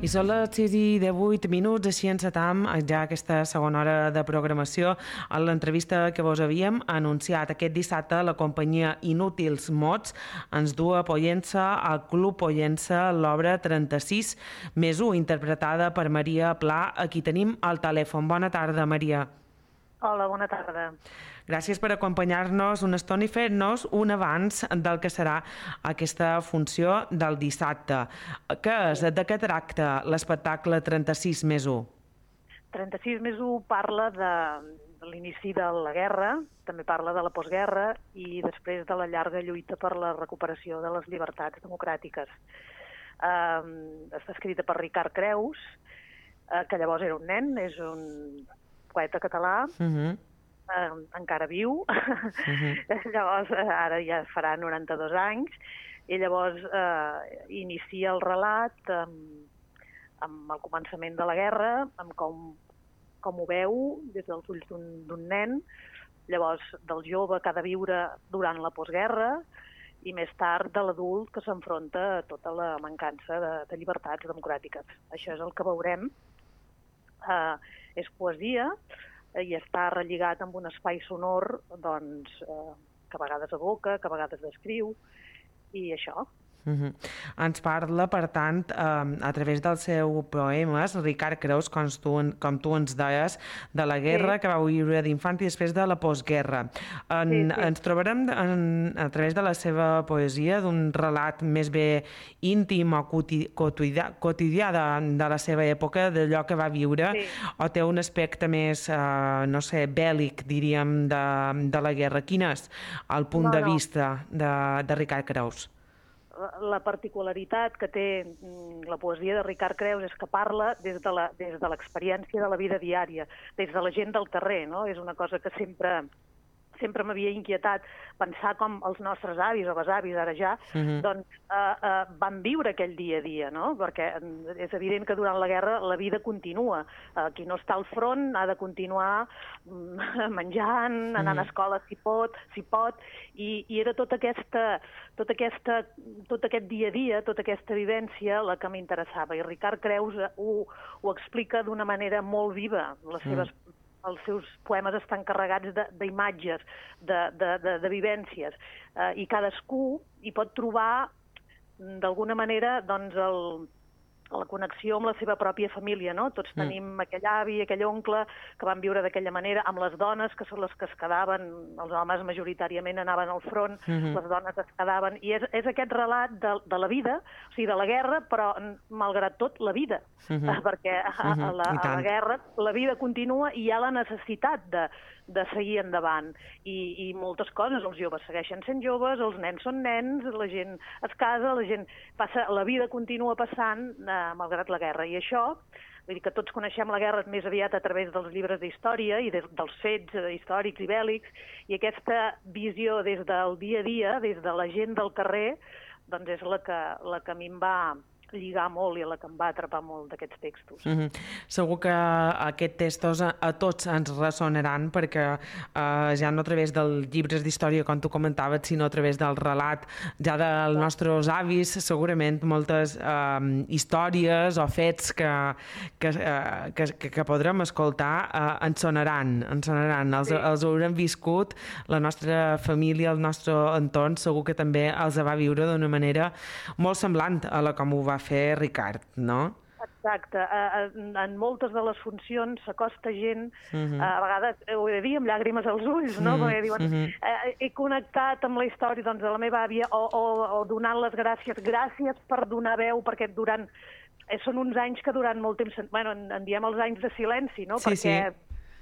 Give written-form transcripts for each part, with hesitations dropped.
I són les 6:18, així encetam ja aquesta segona hora de programació. En l'entrevista que vos havíem anunciat aquest dissabte, la companyia Inútils Mots ens du a Pollença, al Club Pollença, l'obra 36+1, interpretada per Maria Pla, a qui tenim al telèfon. Bona tarda, Maria. Hola, bona tarda. Gràcies per acompanyar-nos una estona i fer-nos un avanç del que serà aquesta funció del dissabte. Què és? De què tracta l'espectacle 36+1? 36+1 parla de l'inici de la guerra, també parla de la postguerra i després de la llarga lluita per la recuperació de les llibertats democràtiques. Està escrita per Ricard Creus, que llavors era un nen, és un poeta català, encara viu, llavors ara ja farà 92 anys, i llavors inicia el relat amb el començament de la guerra, amb com ho veu des dels ulls d'un nen, llavors del jove que ha de viure durant la postguerra, i més tard de l'adult que s'enfronta a tota la mancança de llibertats democràtiques. Això és el que veurem. És poesia i està relligat amb un espai sonor que a vegades evoca, que a vegades descriu, i això. Ens parla, per tant, a través dels seus poemes, Ricard Creus, com tu ens deies, de la guerra que va viure d'infant i després de la postguerra. Ens trobarem a través de la seva poesia d'un relat més bé íntim o quotidià de la seva època, d'allò que va viure, o té un aspecte més, no sé, bèl·lic, diríem, de la guerra. Quin és el punt de vista de Ricard Creus? La particularitat que té la poesia de Ricard Creus és que parla des de l'experiència de la vida diària, des de la gent del carrer, no? És una cosa que sempre m'havia inquietat pensar com els nostres avis o besavis, ara ja, van viure aquell dia a dia, no? Perquè és evident que durant la guerra la vida continua. Qui no està al front ha de continuar menjant, anant a escola si pot, i era tot aquest dia a dia, tota aquesta vivència la que m'interessava. I Ricard Creus ho explica d'una manera molt viva. Els seus poemes estan carregats d'imatges, de vivències, i cadascú hi pot trobar, d'alguna manera, doncs, la connexió amb la seva pròpia família, no? Tots tenim aquell avi, aquell oncle que van viure d'aquella manera, amb les dones, que són les que es quedaven, els homes majoritàriament anaven al front, les dones es quedaven, i és aquest relat de la vida, o sigui, de la guerra, però, malgrat tot, la vida, perquè a la guerra la vida continua i hi ha la necessitat de seguir endavant, i moltes coses, els joves segueixen sent joves, els nens són nens, la gent es casa, la gent passa, la vida continua passant malgrat la guerra, i això, vull dir que tots coneixem la guerra més aviat a través dels llibres d'història i dels fets històrics i bèl·lics, i aquesta visió des del dia a dia, des de la gent del carrer, doncs és la que a mi em va lligar molt i la que em va atrapar molt d'aquests textos. Segur que aquests textos a tots ens ressonaran, perquè ja no a través dels llibres d'història, com tu comentaves, sinó a través del relat ja dels nostres avis, segurament moltes històries o fets que podrem escoltar ens sonaran, els haurem viscut, la nostra família, el nostre entorn, segur que també els va viure d'una manera molt semblant a la com ho va fer Ricard, no? Exacte. En moltes de les funcions s'acosta gent, a vegades, ho he de dir, amb llàgrimes als ulls, no? Perquè diuen, he connectat amb la història de la meva àvia, o donant les gràcies per donar veu, perquè són uns anys que durant molt temps, en diem els anys de silenci, no? Perquè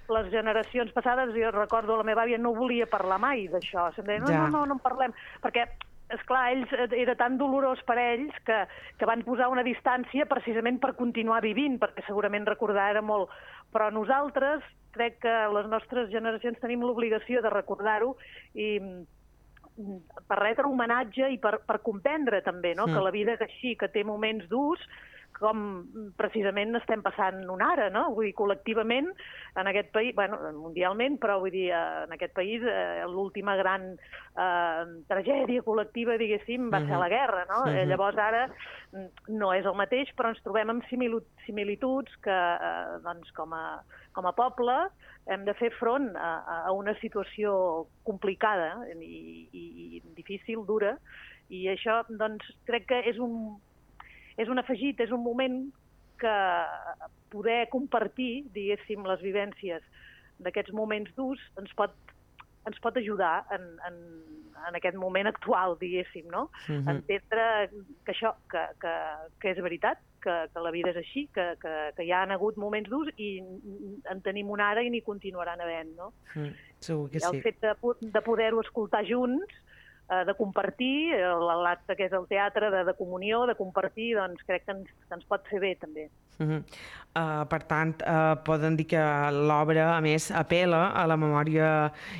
les generacions passades, jo recordo, la meva àvia no volia parlar mai d'això, se'm deia, no en parlem, perquè esclar, era tan dolorós per ells que van posar una distància precisament per continuar vivint, perquè segurament recordar era molt. Però nosaltres, crec que les nostres generacions tenim l'obligació de recordar-ho i per retre homenatge i per comprendre també, no? Que la vida és així, que té moments durs, com precisament estem passant ara, no? Vull dir, col·lectivament, en aquest país, bueno, mundialment, però vull dir, en aquest país l'última gran tragèdia col·lectiva, diguéssim, va ser la guerra, no? Llavors ara no és el mateix, però ens trobem amb similituds que, doncs, com a poble, hem de fer front a una situació complicada i difícil, dura, i això, doncs, crec que és un afegit, és un moment que poder compartir, diguéssim, les vivències d'aquests moments durs ens pot ajudar en aquest moment actual, diguéssim, no? Entendre que això, que és veritat, que la vida és així, que hi ha hagut moments durs i en tenim un ara i n'hi continuaran havent, no? Segur que sí. El fet de poder-ho escoltar junts, de compartir, l'acte que és el teatre, de comunió, de compartir, doncs crec que ens pot fer bé, també. Per tant, poden dir que l'obra, a més, apel·la a la memòria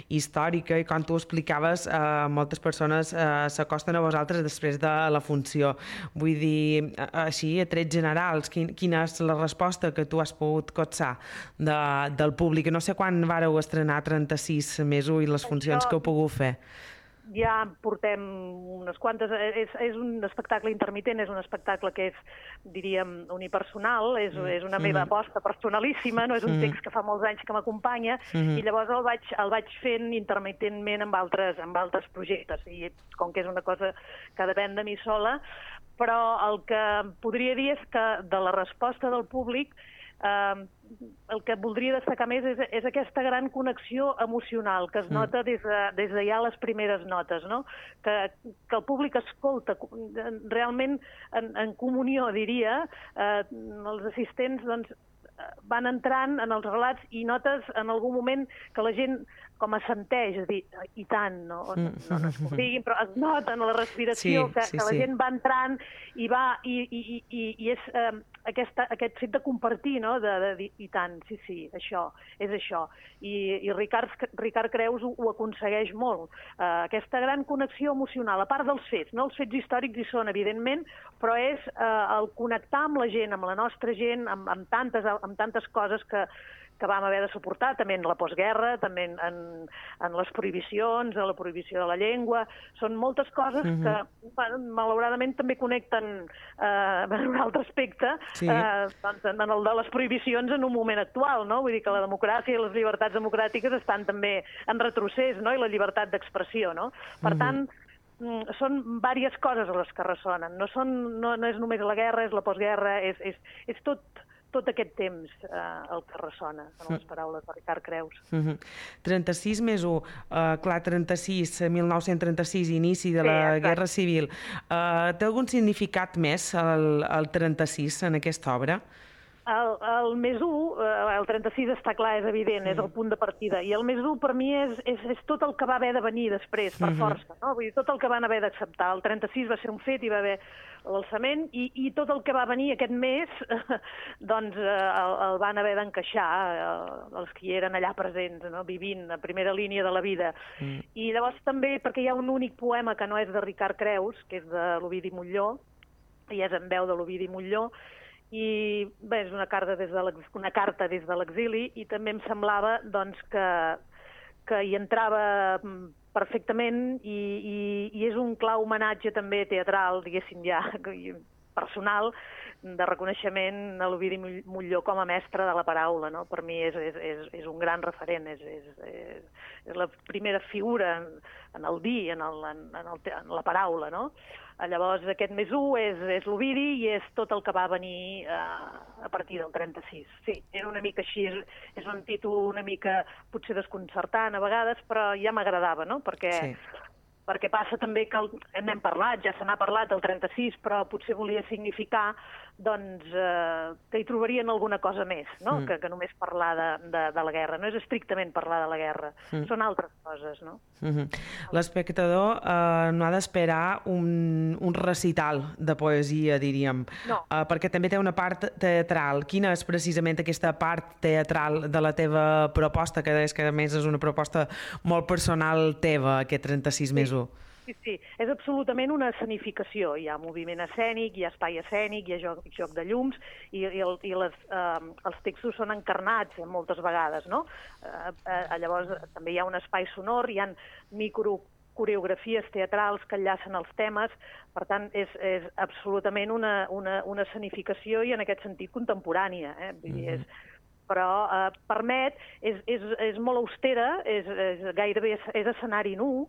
històrica i, com tu explicaves, moltes persones s'acosten a vosaltres després de la funció. Vull dir, així, a trets generals, quina és la resposta que tu has pogut copsar del públic? No sé quan vàreu estrenar 36 mesos i les funcions que heu pogut fer. Ja portem unes quantes... És un espectacle intermitent, és un espectacle que és, diríem, unipersonal, és una meva aposta personalíssima, no és un text que fa molts anys que m'acompanya, i llavors el vaig fent intermitentment amb altres projectes, i com que és una cosa que depèn de mi sola, però el que podria dir és que de la resposta del públic el que voldria destacar més és aquesta gran connexió emocional que es nota des de ja les primeres notes, no? Que el públic escolta realment en comunió, diria, els assistents doncs, van entrant en els relats i notes en algun moment que la gent com assenteix, és a dir, i tant, no es diguin, però es nota en la respiració que la gent va entrant i és aquest fet de compartir, no? De dir, i tant, sí, això, és això. I Ricard Creus ho aconsegueix molt. Aquesta gran connexió emocional, a part dels fets, no? Els fets històrics hi són, evidentment, però és el connectar amb la gent, amb la nostra gent, amb tantes coses que vam haver de suportar, també en la postguerra, també en les prohibicions, en la prohibició de la llengua. Són moltes coses que, malauradament, també connecten en un altre aspecte, en el de les prohibicions en un moment actual, no? Vull dir que la democràcia i les llibertats democràtiques estan també en retrocés, no? I la llibertat d'expressió, no? Per tant, són diverses coses les que ressonen. No és només la guerra, és la postguerra, és tot aquest temps el que ressona en les paraules de Ricard Creus. 36 més 1, clar, 1936, inici de la Guerra Civil. Té algun significat més el 36 en aquesta obra? El més 1, el 36 està clar, és evident, és el punt de partida. I el més 1 per mi és tot el que va haver de venir després, per força, no? Vull dir, tot el que van haver d'acceptar. El 36 va ser un fet, hi va haver l'alçament, i tot el que va venir aquest mes, doncs el van haver d'encaixar els que hi eren allà presents, no? Vivint a primera línia de la vida. I llavors també, perquè hi ha un únic poema que no és de Ricard Creus, que és de l'Ovidi Montllor, i és en veu de l'Ovidi Montllor, i bé, és una carta des de l'exili, i també em semblava doncs, que hi entrava perfectament i és un clar homenatge també teatral, diguéssim ja, personal, de reconeixement a l'Ovidi Montllor com a mestre de la paraula, no? Per mi és un gran referent, és la primera figura en el dir, en la paraula, no? Llavors aquest més 1 és l'Ovidi i és tot el que va venir a partir del 36. Sí, era una mica així, és un títol una mica potser desconcertant a vegades, però ja m'agradava, no? Perquè passa també que n'hem parlat, ja se n'ha parlat el 36, però potser volia significar doncs, que hi trobarien alguna cosa més, no? Que només parlar de la guerra. No és estrictament parlar de la guerra, són altres coses, no? L'espectador no ha d'esperar un recital de poesia, diríem, perquè també té una part teatral. Quina és precisament aquesta part teatral de la teva proposta, que deies que a més és una proposta molt personal teva, aquest 36 més 1? Sí, és absolutament una escenificació. Hi ha moviment escènic, hi ha espai escènic, hi ha joc de llums els textos són encarnats moltes vegades, no? Llavors també hi ha un espai sonor, hi ha microcoreografies teatrals que enllacen els temes, per tant és absolutament una escenificació i en aquest sentit contemporània. Vull dir, però permet, és molt austera, gairebé és escenari nu,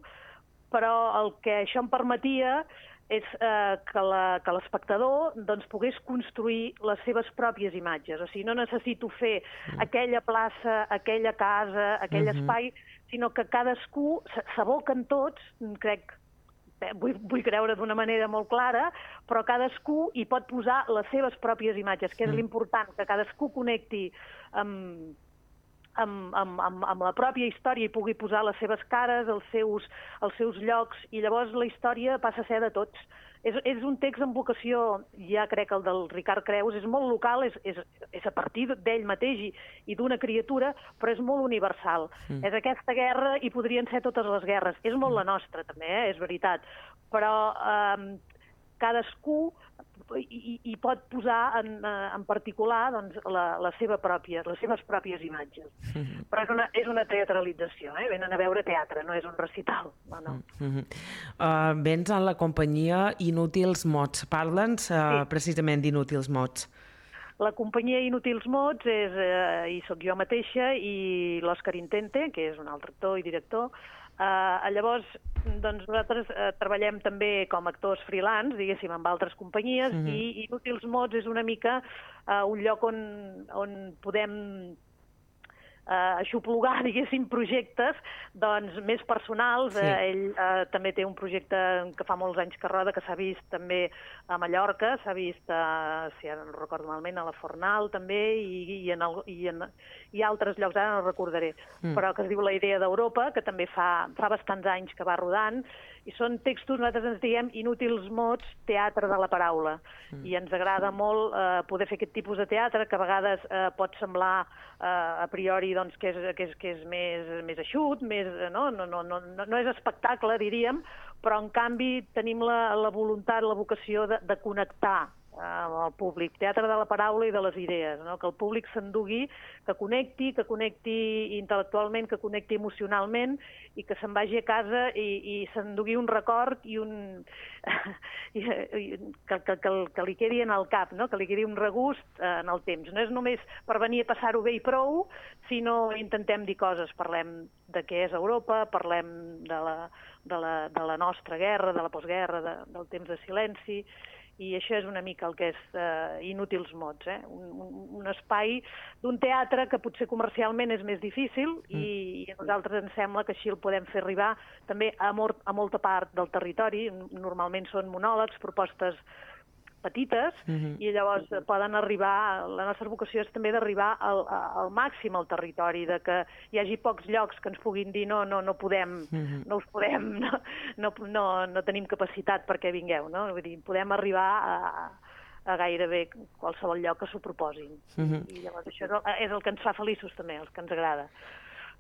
però el que això em permetia és que l'espectador pogués construir les seves pròpies imatges. O sigui, no necessito fer aquella plaça, aquella casa, aquell espai, sinó que cadascú s'aboquen tots, crec, vull creure d'una manera molt clara, però cadascú hi pot posar les seves pròpies imatges, que és l'important, que cadascú connecti amb la pròpia història i pugui posar les seves cares, els seus llocs, i llavors la història passa a ser de tots. És un text amb vocació, ja crec el del Ricard Creus, és molt local, és a partir d'ell mateix i d'una criatura, però és molt universal. És aquesta guerra i podrien ser totes les guerres. És molt la nostra, també, és veritat. Però cadascú hi pot posar en particular les seves pròpies imatges. Però és una teatralització, venen a veure teatre, no és un recital. No. Vens en la companyia Inútils Mots. Parla'ns precisament d'Inútils Mots. La companyia Inútils Mots hi soc jo mateixa i l'Òscar Intente, que és un altre actor i director. Llavors, nosaltres treballem també com actors freelance, diguéssim, amb altres companyies, i Inútils Mots és una mica un lloc on podem aixoplugar, diguéssim, projectes més personals. Ell també té un projecte que fa molts anys que roda, que s'ha vist també a Mallorca, s'ha vist, si ara no recordo malament, a la Fornal també, i altres llocs, ara no recordaré, però que es diu La idea d'Europa, que també fa bastants anys que va rodant, i són textos, nosaltres ens diem Inútils Mots, teatre de la paraula, i ens agrada molt poder fer aquest tipus de teatre, que a vegades pot semblar a priori que és més eixut, no és espectacle, diríem, però en canvi tenim la voluntat, la vocació de connectar amb el públic, teatre de la paraula i de les idees, que el públic s'endugui, que connecti intel·lectualment, que connecti emocionalment i que se'n vagi a casa i s'endugui un record i que li quedi en el cap, que li quedi un regust en el temps. No és només per venir a passar-ho bé i prou, sinó intentem dir coses, parlem de què és Europa, parlem de la nostra guerra, de la postguerra, del temps de silenci, i això és una mica el que és Inútils Mots, un espai d'un teatre que potser comercialment és més difícil i a nosaltres ens sembla que així el podem fer arribar també a molta part del territori. Normalment són monòlegs, propostes petites, i llavors poden arribar, la nostra vocació és també d'arribar al màxim al territori, de que hi hagi pocs llocs que ens puguin dir no podem, no us podem, no tenim capacitat perquè vingueu, no? Vull dir, podem arribar a gairebé qualsevol lloc que s'ho proposin. I llavors això és el que ens fa feliços també, el que ens agrada.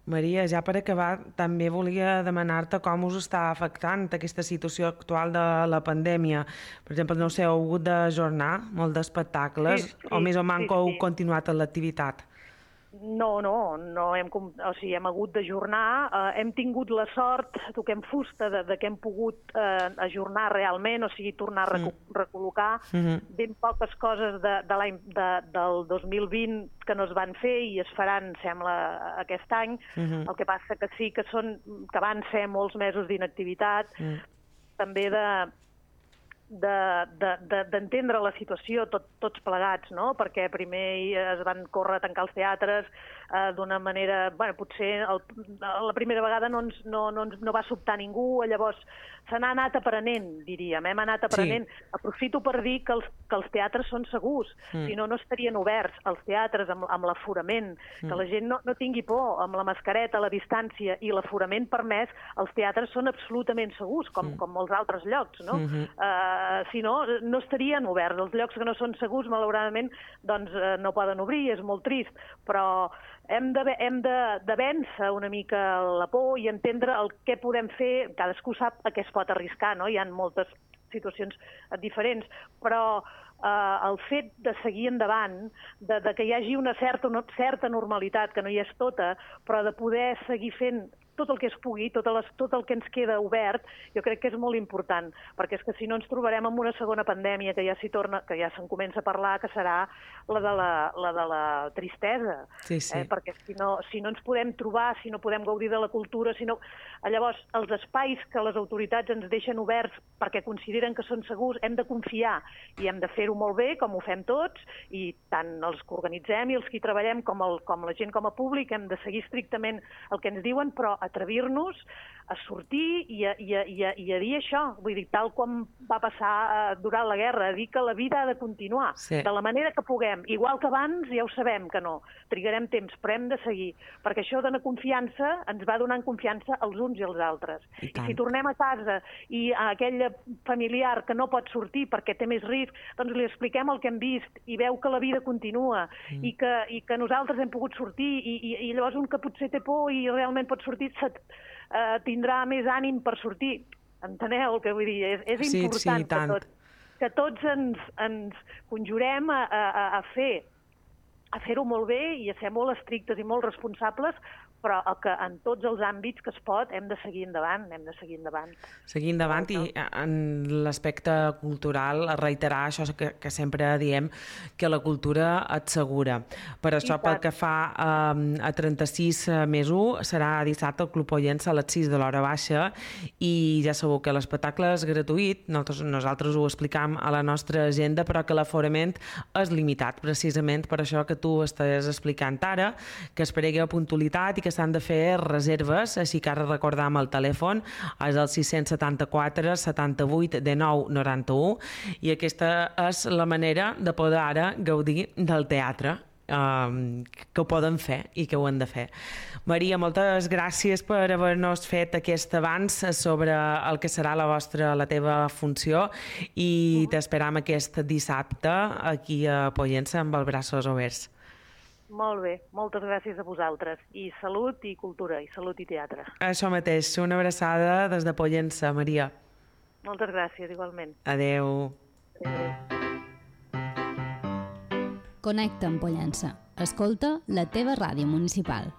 Maria, ja per acabar, també volia demanar-te com us està afectant aquesta situació actual de la pandèmia. Per exemple, no sé, heu hagut d'ajornar molt d'espectacles o més o menys heu continuat en l'activitat? No, hem hagut d'ajornar. Hem tingut la sort, toquem fusta, de que hem pogut ajornar realment, o sigui, tornar a recol·locar ben poques coses del 2020 que no es van fer i es faran, sembla, aquest any. El que passa que sí que van ser molts mesos d'inactivitat, també d'entendre la situació tots plegats, no? Perquè primer es van córrer a tancar els teatres d'una manera... potser la primera vegada no va sobtar ningú, llavors se n'ha anat aprenent, diríem, hem anat aprenent. Aprofito per dir que els teatres són segurs, si no estarien oberts els teatres amb l'aforament, que la gent no tingui por, amb la mascareta, la distància i l'aforament permès, els teatres són absolutament segurs, com molts altres llocs, no? si no, no estarien oberts. Els llocs que no són segurs, malauradament, doncs no poden obrir, és molt trist, però hem de vèncer una mica la por i entendre el què podem fer. Cadascú sap a què es pot arriscar, no? Hi ha moltes situacions diferents, però el fet de seguir endavant, de que hi hagi una certa normalitat, que no hi és tota, però de poder seguir fent tot el que es pugui, tot el que ens queda obert, jo crec que és molt important, perquè és que si no ens trobarem amb una segona pandèmia que ja s'hi torna, que ja se'n comença a parlar, que serà la de la tristesa. Sí, sí. Perquè si no ens podem trobar, si no podem gaudir de la cultura, llavors els espais que les autoritats ens deixen oberts perquè consideren que són segurs, hem de confiar i hem de fer-ho molt bé, com ho fem tots, i tant els que organitzem i els que hi treballem com la gent com a públic hem de seguir estrictament el que ens diuen, però atrevir-nos a sortir i a dir això, vull dir, tal com va passar durant la guerra, a dir que la vida ha de continuar, de la manera que puguem. Igual que abans, ja ho sabem que no, trigarem temps, però hem de seguir, perquè això dona confiança, ens va donant confiança als uns i als altres. I si tornem a casa i a aquell familiar que no pot sortir perquè té més risc, doncs li expliquem el que hem vist i veu que la vida continua i que nosaltres hem pogut sortir i llavors un que potser té por i realment pot sortir tindrà més ànim per sortir. Enteneu el que vull dir? És important que tots ens conjurem a fer-ho molt bé i a ser molt estrictes i molt responsables, però que en tots els àmbits que es pot hem de seguir endavant, Seguir endavant i en l'aspecte cultural reiterar això que sempre diem, que la cultura et segura. Per això, pel que fa a 36 més 1, serà dissabte al Club Pollença a les 6 de l'hora baixa i ja sabeu que l'espectacle és gratuït, nosaltres ho explicam a la nostra agenda, però que l'aforament és limitat, precisament per això que tu estàs explicant ara, que es pregui a puntualitat i que s'han de fer reserves, així que ara recordam el telèfon, és el 674 78 19 91 i aquesta és la manera de poder ara gaudir del teatre, que ho poden fer i que ho han de fer. Maria, moltes gràcies per haver-nos fet aquest avanç sobre el que serà la teva funció i t'esperam aquest dissabte aquí a Pollença amb els braços oberts. Molt bé, moltes gràcies a vosaltres. I salut i cultura, i salut i teatre. Això mateix, una abraçada des de Pollença, Maria. Moltes gràcies, igualment. Adeu. Connecta amb Pollença. Escolta la teva ràdio municipal.